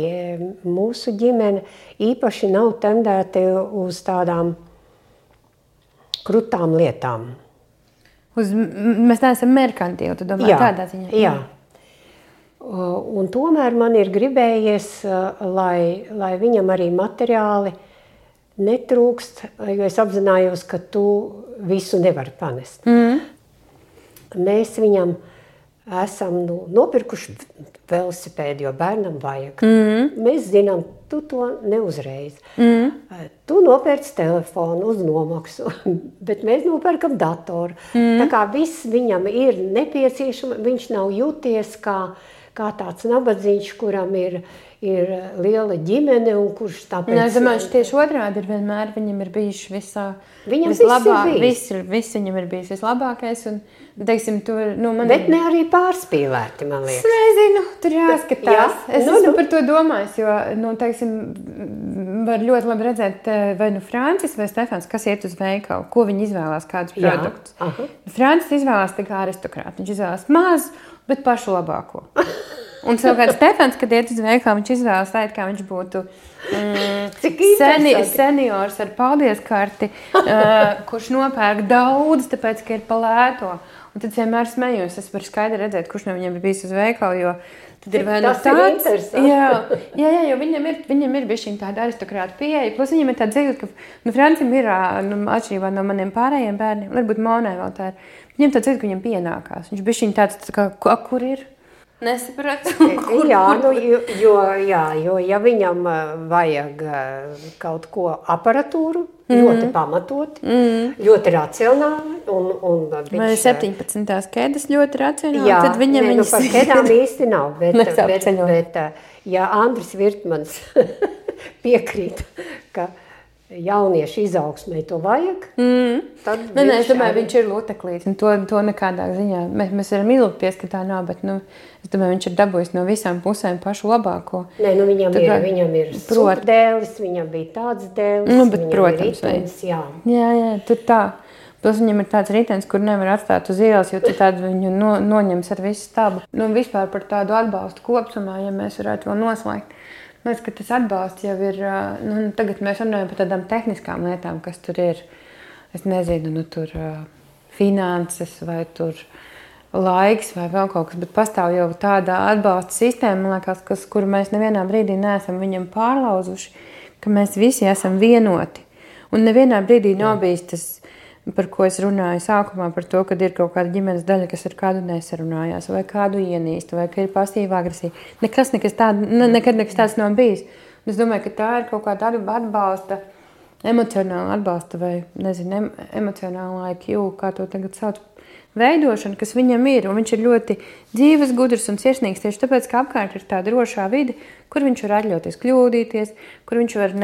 mūsu ģimene, īpaši nav tendēti uz tādām krutām lietām. Mēs neesam merkantīvi, tu domā tādā ziņā? Jā. Un tomēr man ir gribējies, lai viņam arī materiāli netrūkst, jo es apzinājos, ka tu visu nevari panest. Mēs viņam esam nopirkuši velosipēdu, jo bērnam vajag. Mēs zinām, tu to neuzreiz. Tu nopērci telefonu uz nomaksu, bet mēs nopērkam datoru. Tā kā viss viņam ir nepieciešams, viņš nav jūties kā tāds nabadzīgs, kuram ir liela ģimene un kurš tāpēc... Es domāju, tieši otrādi ir vienmēr, viņam ir bijuši vislabāk. Viss viņam ir bijis vislabākais un teiksim, tur, Bet ne arī pārspīlēti, man liekas. Es nezinu, tur jāskatās. Es esmu par to domājis, jo, teiksim, var ļoti labi redzēt, vai Francis vai Stefans, kas iet uz veikalu, ko viņi izvēlās, kādus produktus. Francis izvēlās tā kā aristokrāti, viņš izvēlās mazu, bet pašu labāko. Un savukārt Stefans, kad iet uz veikalu, viņš izvēlas tā, kā viņš būtu seniors ar paldies karti, kurš nopērk daudz, tāpēc, ka ir pa lēto. Un tad vienmēr smējos, es varu skaidri redzēt, kurš no viņiem ir bijis uz veikalu, jo tad ir vai no tāds. Jā, jo viņam ir bišķiņ tāda aristokrāta pieeja, plus viņam ir tāda dzīve, ka Francim ir, atšķirībā no maniem pārējiem bērniem, varbūt Monai vēl tā ir, viņam tāda dzīve, ka viņam pienākās. Viņš bišķiņ tāds, kā, kur ir? Nesapratu. Jo ja viņam vajag kaut ko aparatūru, ļoti pamatot, ļoti racionāli. Vai 17. ķēdes ļoti racionāli, tad viņam viņas... par ķēdām īsti nav, bet ja Andris Virtmans piekrīt, ka jauniešu izaugsmai to vajag, tad... Es domāju, viņš ir luteklīts, un to nekādā ziņā. Mēs varam ilgties, ka tā nav, bet, es domāju, viņš ir dabūjis no visām pusēm pašu labāko. Nē, viņam ir superdēlis, viņam bija tāds dēlis, bet, protams, ir ritens, jā. Jā, tur tā. Plus viņam ir tāds ritens, kur nevar atstāt uz ielas, jo tad viņu noņems ar visu stabu. Vispār par tādu atbalstu kopsumā, ja mēs varētu vēl noslēgt. Man liekas, ka tas atbalsts jau ir, tagad mēs runājam par tādām tehniskām lietām, kas tur ir, es nezinu, tur finanses vai tur laiks vai vēl kaut kas, bet pastāv jau tāda atbalsta sistēma, man liekas, kuru mēs nevienā brīdī neesam viņam pārlauzuši, ka mēs visi esam vienoti. Un nevienā brīdī nav bijis tas, par ko es runāju sākumā, par to, kad ir kaut kāda ģimenes daļa, kas ar kādu nesarunājās, vai kādu ienīst, vai ka ir pasīva agresija. Nekad nekas tāds nav bijis. Un es domāju, ka tā ir kaut kāda atbalsta, emocionāla atbalsta, vai, nezinu, emocionāla IQ, kā to tagad sauc, veidošana, kas viņam ir. Un viņš ir ļoti dzīves, gudrs un sirsnīgs, tieši tāpēc, ka apkārt ir tā drošā vide, kur viņš var atļauties kļūdīties, kur viņš var,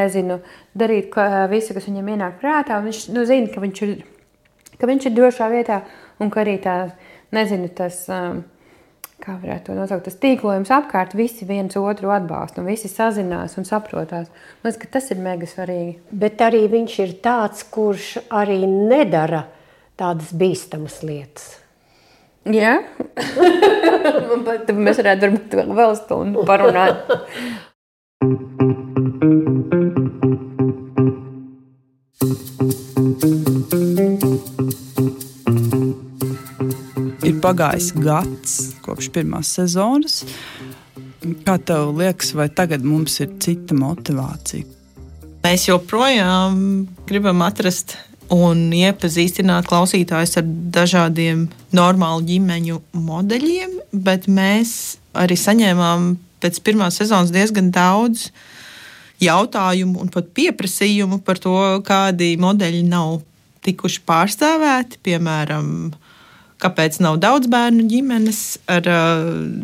darīt visu, kas viņam ienāk prātā. Un viņš zina, ka viņš ir drošā vietā un ka arī tā, tas, kā varētu to nosaukt, tas tīklojums apkārt, visi viens otru atbalsta un visi sazinās un saprotās. Man liekas, ka tas ir mega svarīgi. Bet arī viņš ir tāds, kurš arī nedara tādas bīstamas lietas. Jā? Mēs varētu varbūt vēl stundu parunāt. Ir pagājis gads kopš pirmās sezonas. Kā tev liekas, vai tagad mums ir cita motivācija? Mēs joprojām gribam atrast un iepazīstināt klausītājus ar dažādiem normālu ģimeņu modeļiem, bet mēs arī saņēmām pēc pirmās sezonas diezgan daudz jautājumu un pat pieprasījumu par to, kādi modeļi nav tikuši pārstāvēti, piemēram, kāpēc nav daudz bērnu ģimenes ar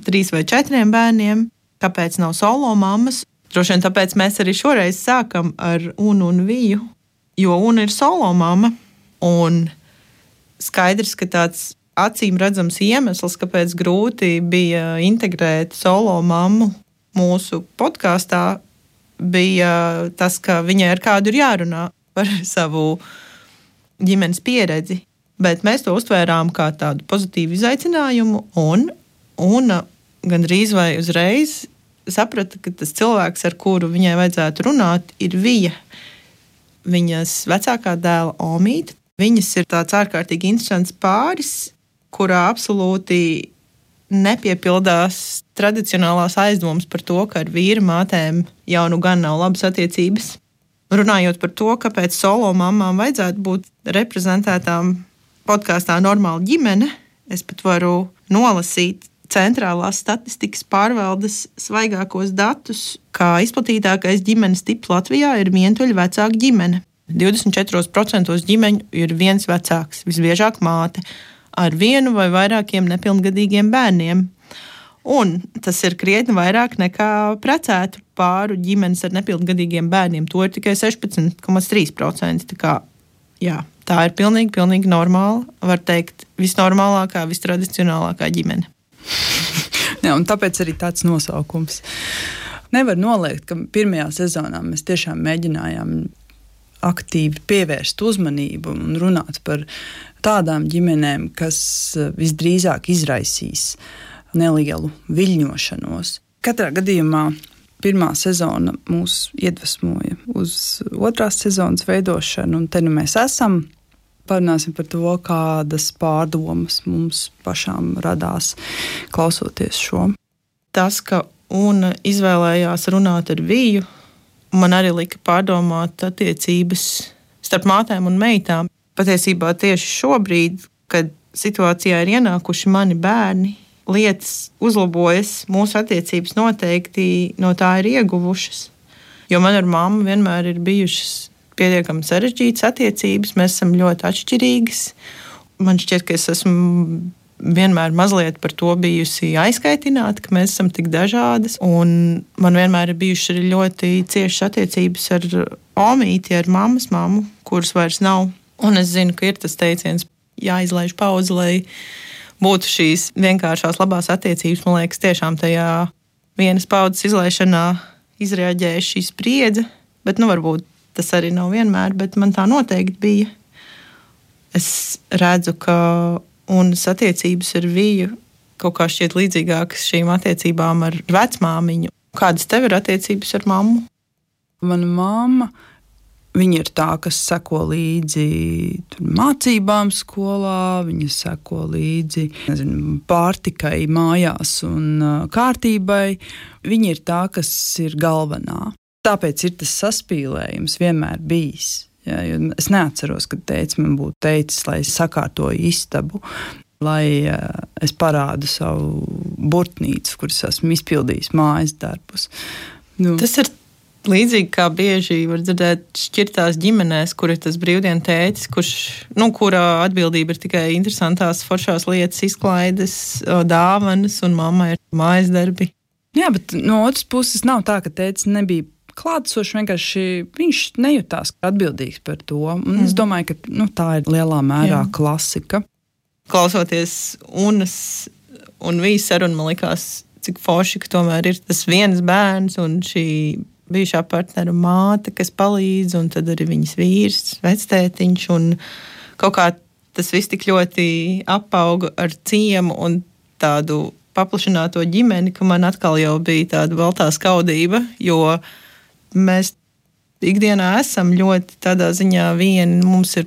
3 vai 4 bērniem, kāpēc nav solo mammas. Droši vien tāpēc mēs arī šoreiz sākam ar Unu un Viju, jo Una ir solo mamma, un skaidrs, ka tāds acīm redzams iemesls, kāpēc grūti bija integrēt solo mammu mūsu podkāstā, bija tas, ka viņai ar kādu ir jārunā par savu ģimenes pieredzi. Bet mēs to uztvērām kā tādu pozitīvu izaicinājumu, un Una gandrīz vai uzreiz saprata, ka tas cilvēks, ar kuru viņai vajadzētu runāt, ir Vija. Viņas vecākā dēla Omīte. Viņas ir tāds ārkārtīgi interesants pāris, kurā absolūti nepiepildās tradicionālās aizdomas par to, ka ar vīra mātēm jau nu gan nav labas attiecības. Runājot par to, kāpēc solo mammām vajadzētu būt reprezentētām podkāstā Normāla ģimene, es pat varu nolasīt Centrālās statistikas pārvaldes svaigākos datus, kā izplatītākais ģimenes tips Latvijā ir vientuļa vecāka ģimene. 24% ģimeņu ir viens vecāks, visbiežāk māte, ar 1 vai vairākiem nepilngadīgiem bērniem. Un tas ir krietni vairāk nekā precētu pāru ģimenes ar nepilngadīgiem bērniem. To ir tikai 16,3%. Tā kā, jā, Tā ir pilnīgi normāla, var teikt, visnormālākā, vistradicionālākā ģimene. Jā, un tāpēc arī tāds nosaukums. Nevar noliegt, ka pirmajā sezonā mēs tiešām mēģinājām aktīvi pievērst uzmanību un runāt par tādām ģimenēm, kas visdrīzāk izraisīs nelielu viļņošanos. Katrā gadījumā pirmā sezona mūs iedvesmoja uz otrās sezonas veidošanu, un te nu mēs esam. Parunāsim par to, kādas pārdomas mums pašām radās klausoties šo. Tas, ka Una izvēlējās runāt ar Viju, man arī lika pārdomāt attiecības starp mātēm un meitām. Patiesībā tieši šobrīd, kad situācijā ir ienākuši mani bērni, lietas uzlabojas, mūsu attiecības noteikti no tā ir ieguvušas. Jo man ar mammu vienmēr ir bijušas pietiekami sarežģītas attiecības, mēs esam ļoti atšķirīgas. Man šķiet, ka es esmu vienmēr mazliet par to bijusi aizkaitināta, ka mēs esam tik dažādas. Un man vienmēr ir bijušas arī ļoti ciešas attiecības ar omīti, ar mammas mammu, kuras vairs nav. Un es zinu, ka ir tas teiciens, jāizlaiž pauze, lai būtu šīs vienkāršās labās attiecības. Man liekas, tiešām tajā vienas paudzes izlaišanā izreaģēja šī spriedze, bet varbūt tas arī nav vienmēr, bet man tā noteikti bija. Es redzu, ka Unas attiecības ar Viju kaut kā šķiet līdzīgākas šīm attiecībām ar vecmāmiņu. Kādas tev ir attiecības ar mammu? Mana mamma, viņa ir tā, kas seko līdzi mācībām skolā, viņa seko līdzi pārtikai mājās un kārtībai. Viņa ir tā, kas ir galvenā. Tāpēc ir tas saspīlējums vienmēr bijis. Ja, es neatceros, kad tēvs man būtu teicis, lai es sakārtoju istabu, lai es parādu savu burtnīcu, kuras esmu izpildījis mājas darbus. Tas ir līdzīgi kā bieži var dzirdēt šķirtās ģimenēs, kur ir tas brīvdienu tētis, kurā atbildība ir tikai interesantās foršās lietas, izklaides, dāvanas, un mamma ir mājas darbi. Jā, bet no otras puses nav tā, ka tētis nebija klātesoši, vienkārši viņš nejūtās atbildīgs par to. Un es domāju, ka tā ir lielā mērā klasika. Klausoties Unas un Vijas sarunu, man likās, cik forši, ka tomēr ir tas viens bērns un šī bijušā partnera māte, kas palīdz, un tad arī viņas vīrs, vectētiņš, un kaut kā tas viss tik ļoti apauga ar ciemu un tādu paplašināto ģimeni, ka man atkal jau bija tāda baltā skaudība, jo mēs ikdienā esam ļoti tādā ziņā vieni, mums ir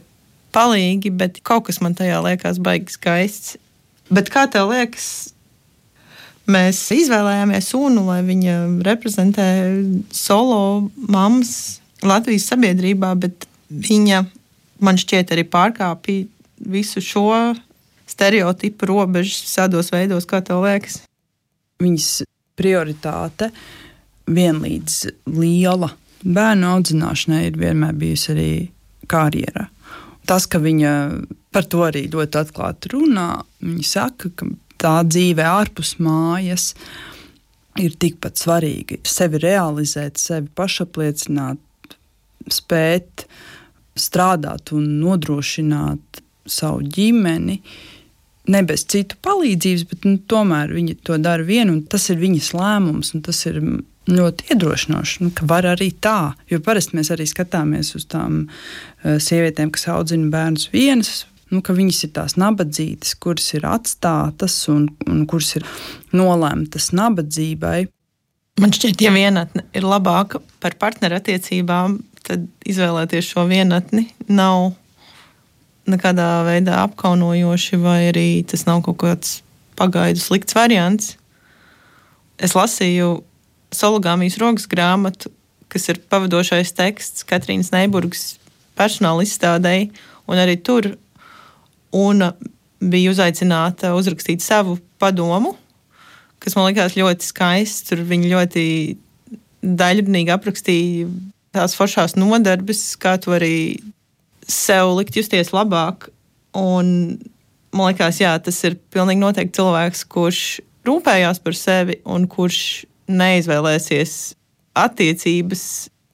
palīgi, bet kaut kas man tajā liekas baigi skaists. Bet kā tev liekas, mēs izvēlējāmies Unu, lai viņa reprezentē solo mammas Latvijas sabiedrībā, bet viņa, man šķiet, arī pārkāpja visu šo stereotipu robežas visādos veidos, kā tev liekas? Viņas prioritāte vienlīdz liela bērnu audzināšanai ir vienmēr bijusi arī karjera. Tas, ka viņa par to arī ļoti atklāti runā, viņa saka, ka tā dzīve ārpus mājas ir tikpat svarīga. Sevi realizēt, sevi pašapliecināt, spēt strādāt un nodrošināt savu ģimeni, ne bez citu palīdzības, bet tomēr viņa to dara viena, un tas ir viņas lēmums, un tas ir ļoti iedrošinoši, ka var arī tā. Jo parasti mēs arī skatāmies uz tām sievietēm, kas audzina bērnus vienas, ka viņas ir tās nabadzītas, kuras ir atstātas un kuras ir nolēmtas nabadzībai. Man šķiet, ja vienatne ir labāka par partnerattiecībām, tad izvēlēties šo vienatni nav nekādā veidā apkaunojoši, vai arī tas nav kaut kāds pagaidu slikts variants. Es lasīju Sologāmijas rokas grāmatu, kas ir pavadošais teksts Katrīnas Neiburgas personāla izstādei, un arī tur Una bija uzaicināta uzrakstīt savu padomu, kas man likās ļoti skaists. Tur viņa ļoti daļrunīgi aprakstīja tās foršās nodarbes, kā tu arī sev likt justies labāk. Un man likās, jā, tas ir pilnīgi noteikti cilvēks, kurš rūpējās par sevi un kurš neizvēlēsies attiecības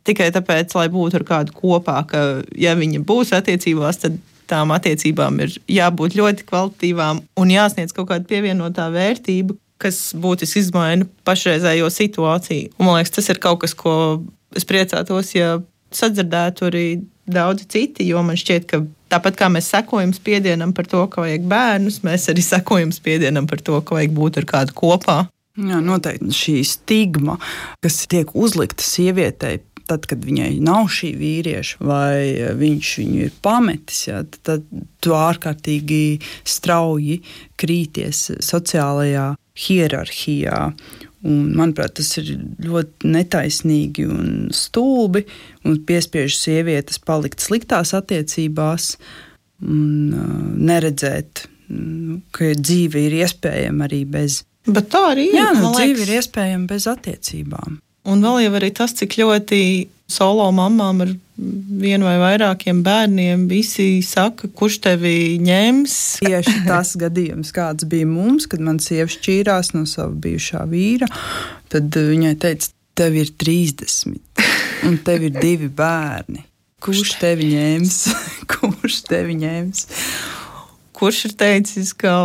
tikai tāpēc, lai būtu ar kādu kopā, ka ja viņa būs attiecībās, tad tām attiecībām ir jābūt ļoti kvalitatīvām un jāsniedz kaut kāda pievienotā vērtība, kas būtiski izmaina pašreizējo situāciju. Un, man liekas, tas ir kaut kas, ko es priecātos, ja sadzirdētu arī daudzi citi, jo man šķiet, ka tāpat kā mēs sekojam spiedienam par to, ka vajag bērnus, mēs arī sekojam spiedienam par to, ka vajag būt ar kādu kopā. Jā, noteikti šī stigma, kas tiek uzlikta sievietei, tad, kad viņai nav šī vīrieša, vai viņš viņu ir pametis, jā, tad tu ārkārtīgi strauji krīties sociālajā hierarhijā. Un, manuprāt, tas ir ļoti netaisnīgi un stulbi un piespiež sievietes palikt sliktās attiecībās un neredzēt, ka dzīve ir iespējama arī bez. Bet tā arī ir. Jā, dzīve ir iespējama bez attiecībām. Un vēl jau arī tas, cik ļoti solo mamām ar vienu vai vairākiem bērniem visi saka, kurš tevi ņems. Tieši tas gadījums, kāds bija mums, kad man sieva šķīrās no sava bijušā vīra, tad viņai teica, tev ir 30 un tev ir 2 bērni. Kurš tevi ņems? Kurš tevi ņems? Kurš ir teicis, ka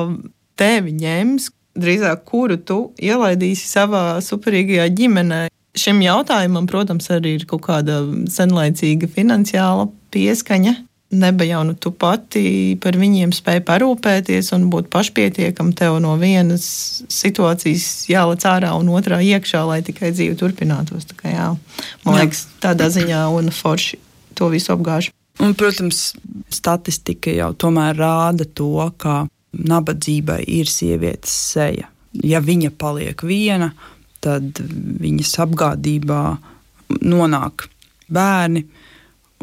tevi ņems? Drīzāk, kuru tu ielaidīsi savā superīgajā ģimenē. Šim jautājumam, protams, arī ir kaut kāda senlaicīga finansiāla pieskaņa. Neba jau tu pati par viņiem spēj parūpēties un būt pašpietiekam, tev no vienas situācijas jālec ārā un otrā iekšā, lai tikai dzīve turpinātos. Tā kā, jā. Man liekas, tādā ziņā un forši to visu apgāž. Un, protams, statistika jau tomēr rāda to, ka nabadzībai ir sievietes seja. Ja viņa paliek viena, tad viņas apgādībā nonāk bērni,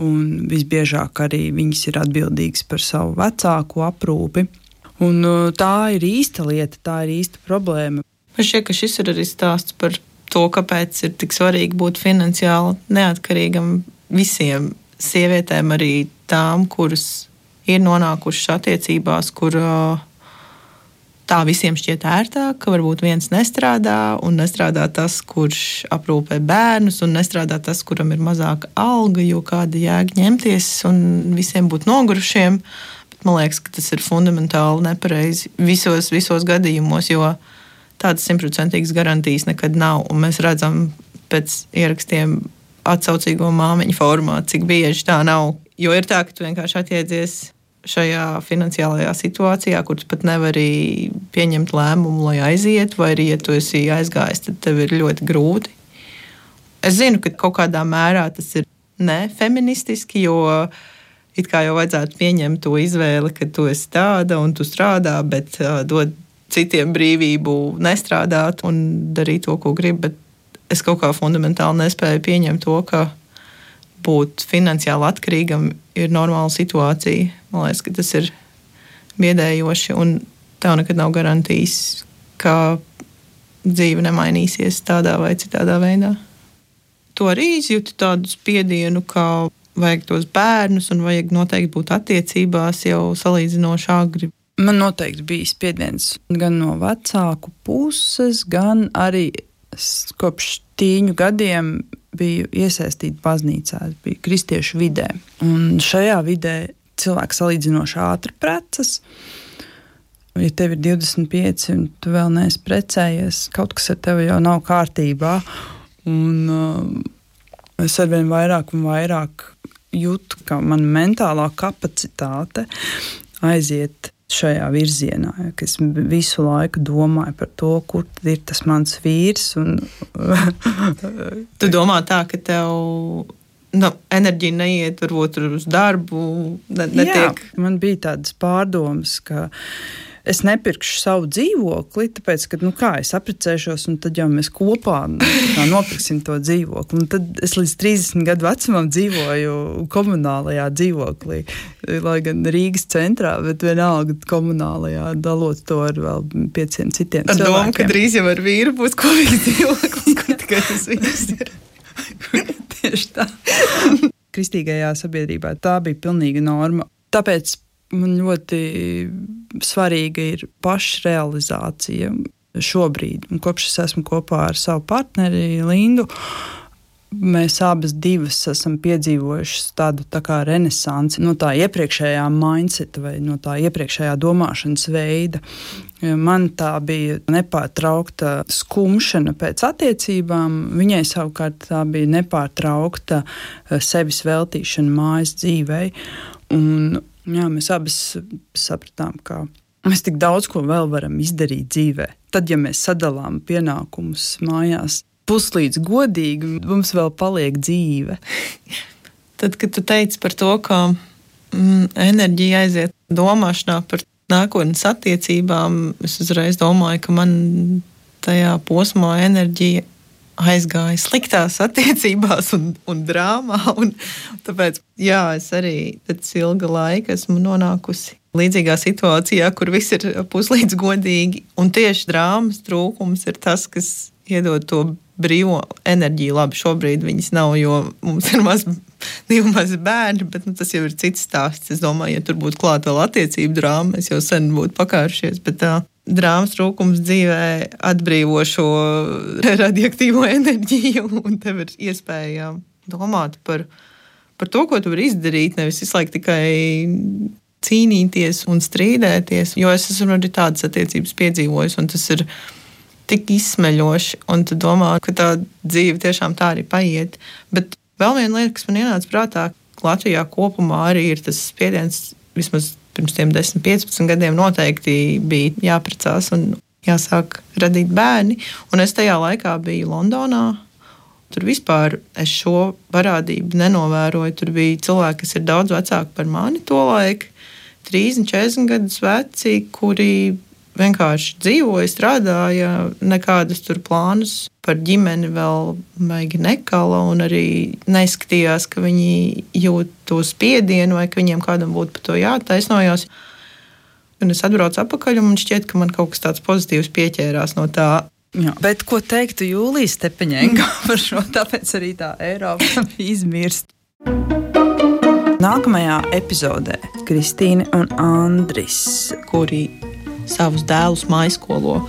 un visbiežāk arī viņas ir atbildīgas par savu vecāku aprūpi. Un tā ir īsta lieta, tā ir īsta problēma. Man šķiet, ka šis ir arī stāsts par to, kāpēc ir tik svarīgi būt finansiāli neatkarīgam visiem sievietēm, arī tām, kuras ir nonākušas attiecībās, kur tā visiem šķiet ērtāk, ka varbūt viens nestrādā, un nestrādā tas, kurš aprūpē bērnus, un nestrādā tas, kuram ir mazāka alga, jo kāda jēga ņemties un visiem būt nogurušiem. Bet man liekas, ka tas ir fundamentāli nepareizi visos gadījumos, jo tādas 100% garantijas nekad nav, un mēs redzam pēc ierakstiem atsaucīgo māmiņu formā, cik bieži tā nav. Jo ir tā, ka tu vienkārši atjēdzies šajā finansiālajā situācijā, kur tu pat nevari pieņemt lēmumu, lai aiziet, vai arī, ja tu esi aizgājis, tad tev ir ļoti grūti. Es zinu, ka kaut kādā mērā tas ir nefeministiski, jo it kā jau vajadzētu pieņemt to izvēli, ka tu esi tāda un tu strādā, bet dod citiem brīvību nestrādāt un darīt to, ko grib, bet es kaut kā fundamentāli nespēju pieņemt to, ka būt finansiāli atkarīgam ir normāla situācija. Man liekas, ka tas ir biedējoši, un tev nekad nav garantijas, ka dzīve nemainīsies tādā vai citādā veidā. Tu arī izjūti tādu spiedienu, ka vajag tos bērnus un vajag noteikti būt attiecībās jau salīdzinoši agri. Man noteikti bija spiediens gan no vecāku puses, gan arī kopš tīņu gadiem biju iesaistīta baznīcā, biju kristiešu vidē. Un šajā vidē cilvēki salīdzinoši ātri precas. Ja tev ir 25 un tu vēl neesi precējies, kaut kas ar tevi jau nav kārtībā. Un es arvien vairāk un vairāk jūtu, ka mana mentālā kapacitāte aiziet šajā virzienā, ka es visu laiku domāju par to, kur tad ir tas mans vīrs. Tu domā tā, ka tev enerģija neiet varbūt uz darbu, netiek? Jā, man bija tādas pārdomas, ka es nepirkšu savu dzīvokli, tāpēc, ka, kā es apprecēšos, un tad jau mēs kopā nopirksim to dzīvokli. Un tad es līdz 30 gadu vecumam dzīvoju komunālajā dzīvoklī, lai gan Rīgas centrā, bet vienalga komunālajā, dalot to ar vēl 5 citiem cilvēkiem. Ar domu, ka drīz jau ar vīru būs kopīgs dzīvoklis, kur tikai tas vīrs ir. Tieši tā. Kristīgajā sabiedrībā tā bija pilnīga norma. Tāpēc man ļoti svarīga ir pašrealizācija šobrīd. Un kopš es esmu kopā ar savu partneri Lindu, mēs abas divas esam piedzīvojušas tādu tā kā renesansi no tā iepriekšējā mindseta vai no tā iepriekšējā domāšanas veida. Man tā bija nepārtraukta skumšana pēc attiecībām, viņai savukārt tā bija nepārtraukta sevis veltīšana mājas dzīvei. Un, jā, mēs abas sapratām, ka mēs tik daudz ko vēl varam izdarīt dzīvē. Tad, ja mēs sadalām pienākumus mājās puslīdz godīgi, mums vēl paliek dzīve. Tad, kad tu teici par to, ka enerģija aiziet domāšanā par nākotnes attiecībām, es uzreiz domāju, ka man tajā posmā enerģija aizgāja sliktās attiecībās un drāmā. Un tāpēc, jā, es arī pēc ilga laika esmu nonākusi līdzīgā situācijā, kur viss ir puslīdz godīgi. Un tieši drāmas trūkums ir tas, kas iedod to brīvo enerģiju. Labi, šobrīd viņas nav, jo mums ir divi mazi bērni, bet tas jau ir cits stāsts. Es domāju, ja tur būtu klāt vēl attiecību drāma, mēs jau sen būtu pakārušies, bet drāmas trūkums dzīvē atbrīvo šo radioaktīvo enerģiju, un tev ir iespēja domāt par to, ko tu vari izdarīt, nevis visu laiku tikai cīnīties un strīdēties, jo es esmu arī tādas attiecības piedzīvojis, un tas ir tik izsmeļoši, un tu domā, ka tā dzīve tiešām tā arī paiet. Bet vēl viena lieta, kas man ienāca prātā, Latvijā kopumā arī ir tas spiediens, vismaz pirms tiem 10-15 gadiem noteikti bija jāprecās un jāsāk radīt bērni. Un es tajā laikā biju Londonā. Tur vispār es šo parādību nenovēroju. Tur bija cilvēki, kas ir daudz vecāki par mani tolaik, 30-40 gadus veci, kuri vienkārši dzīvoja, strādāja, nekādas tur plānus par ģimeni vēl maigi nekala un arī neskatījās, ka viņi jūt to spiedienu vai ka viņiem kādam būtu par to jātaisnojās. Un es atbraucu atpakaļ un man šķiet, ka man kaut kas tāds pozitīvs pieķērās no tā. Jā, bet ko teiktu Jūlija Stepaņenko par šo, tāpēc arī tā Eiropa izmirst. Nākamajā epizodē Kristīne un Andris, kuri savus dēlus maiskolo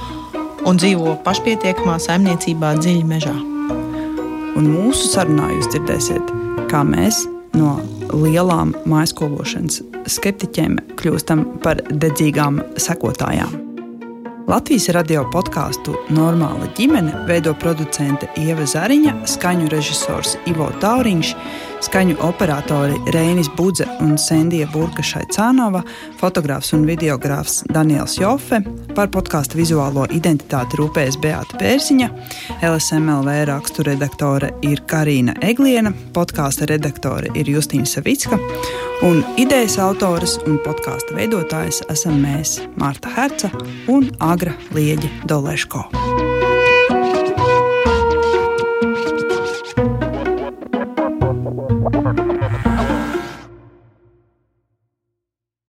un dzīvo pašpietiekamā saimniecībā dziļi mežā. Un mūsu sarunā jūs dzirdēsiet, kā mēs no lielām maiskološanas skeptiķiem kļūstam par dedzīgām sekotājām. Latvijas radio podkāstu Normāla ģimene veido producente Ieva Zariņa, skaņu režisors Ivo Tauriņš, skaņu operatori Reinis Budze un Sendija Burka-Šaicānova, fotogrāfs un videogrāfs Daniels Jofe, par podkāstu vizuālo identitāti rūpējas Beāta Pērziņa, LSMLV rakstu redaktore ir Karīna Egliena, podkāsta redaktore ir Justīna Savicka, un idejas autoras un podkāsta veidotājs esam mēs, Marta Herca un Agra Lieģe Doleško.